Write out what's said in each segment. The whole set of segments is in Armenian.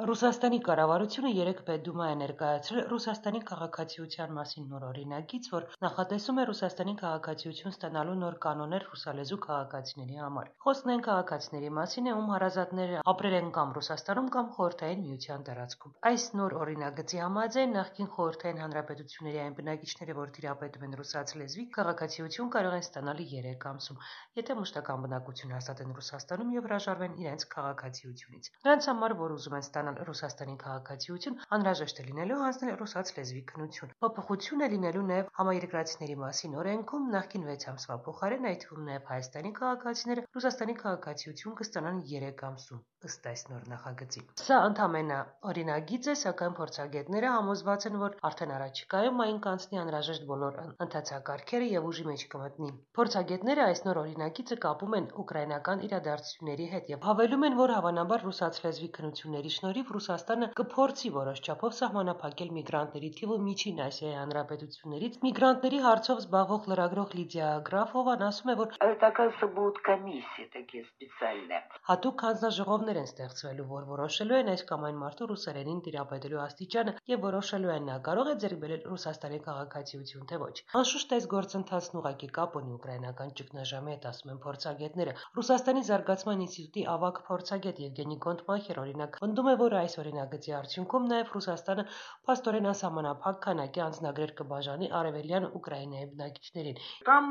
Ռուսաստանի կառավարությունը երեկ Պետդումա է ներկայացրել Ռուսաստանի քաղաքացիության մասին նոր օրինագիծ, որ նախատեսում է Ռուսաստանի քաղաքացիություն ստանալու նոր կանոններ ռուսալեզու քաղաքացիների համար։ Խոսքն այն քաղաքացիների մասին է, ում հարազատները ապրել են կամ Ռուսաստանում կամ Խորհրդային Միության տարածքում։ Այս նոր օրինագծի համաձայն նախկին Խորհրդային Հանրապետությունների այն բնակիչները, որ տիրապետում են ռուսաց լեզվի, քաղաքացիություն կարող են ստանալ 3 ամսում, եթե մշտական բնակություն հաստատեն Ռուսաստանում եւ հրաժարվեն իրենց քաղաքացիությունից։ Նրանց համար, որ ուզում են ստանալ Ռուսաստանի քաղաքացիություն, անհրաժեշտ է լինելու հանձնել ռուսաց լեզվի քննություն։ Փոփոխություն է լինելու նաև համաերկրացիների մասին օրենքում, նախկին 6 ամսվա փոխարեն, այդ թվում նաև Հայաստանի քաղաքացիները Ռուսաստանի քաղաքացիություն կստանան 3 ամսում, ըստ այս նոր նախագծի։ Սա ընդամենը օրինագիծ է, սակայն փորձագետները համոզված են, որ արդեն առաջիկայում այն կանցնի անհրաժեշտ բոլոր ընթացակարգերը եւ ուժի մեջ կմտնի։ Փորձագետները այս նոր օրինագիծը կապում են ուկրաինական իրադարձությունների հետ եւ հավելում են, որ հավանաբար ռուսաց լեզվի քննությունների շնորհիվ Ռուսաստանը կփորձի որոշ չափով սահմանափակել միգրանտների թիվը Միջին Ասիայի հանրապետություններից։ Միգրանտների հարցով զբաղվող լրագրող Լիդիա Գրաֆովան ասում է, որ Оказывается, будут комиссии такие специальные. Հատուկ հանձնաժողովներ են ստեղծվելու, որ որոշելու են այս կամ այն մարդու ռուսերենին տիրապետելու աստիճանը եւ որոշելու են նա կարող է ձեռք բերել Ռուսաստանի քաղաքացիություն թե ոչ։ Անշուշտ այս գործընթացն ուղղակի կապ ունի ուկրաինական ճգնաժամի հետ, ասում են փորձագետները։ Ռուսաստանի զարգացման ինստիտուտի ավագ փորձագետ Եվգենի Գոնտմախեր օրինակ պնդում է, որ այս օրինագծի արդյունքում նաեւ Ռուսաստանը փաստորեն անսահմանափակ քանակի անձնագրեր կբաժանի արևելյան Ուկրաինայի բնակիչներին։ Там,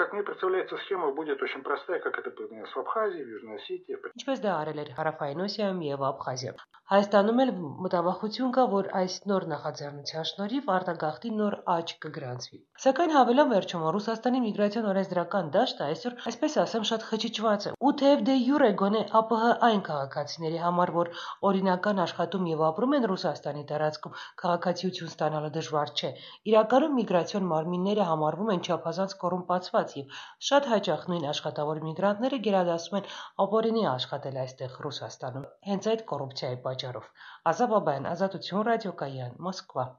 как мне представляется, схема будет очень простая, как это было с Абхазией, в Южной Осетии. Ինչպես դա արել էր Հարավային Օսիայում եւ Աբխազիայում։ Հայաստանում էլ մտավախություն կա, որ այս նոր նախաձեռնության շնորհիվ արտագաղթի նոր աճ կգրանցվի։ Սակայն հավելում վերջում, որ Ռուսաստանի միգրացիոն օրենսդրական դաշտը այսօր, այսպես ասեմ, շատ խճճված է։ Ու թեև դե յուրե գոնե ԱՊՀ այն քաղաքացիների համար, որ օրինական աշխատում եւ ապրում են Ռուսաստանի տարածքում, քաղաքացիություն ստանալը դժվար չէ։ Իրականում միգրացիոն մարմինները համարվում են չափազանց կոռումպացված եւ շատ հաճախ նույն աշխատավոր միգրանտները գերադասում են ապօրինի աշխատել այստեղ Ռուսաստանում։ Հենց այդ կոռուպցիայի պատճառով։ Ազատ Բաբայան, Ազատություն ռադիոկայան, Մոսկվա։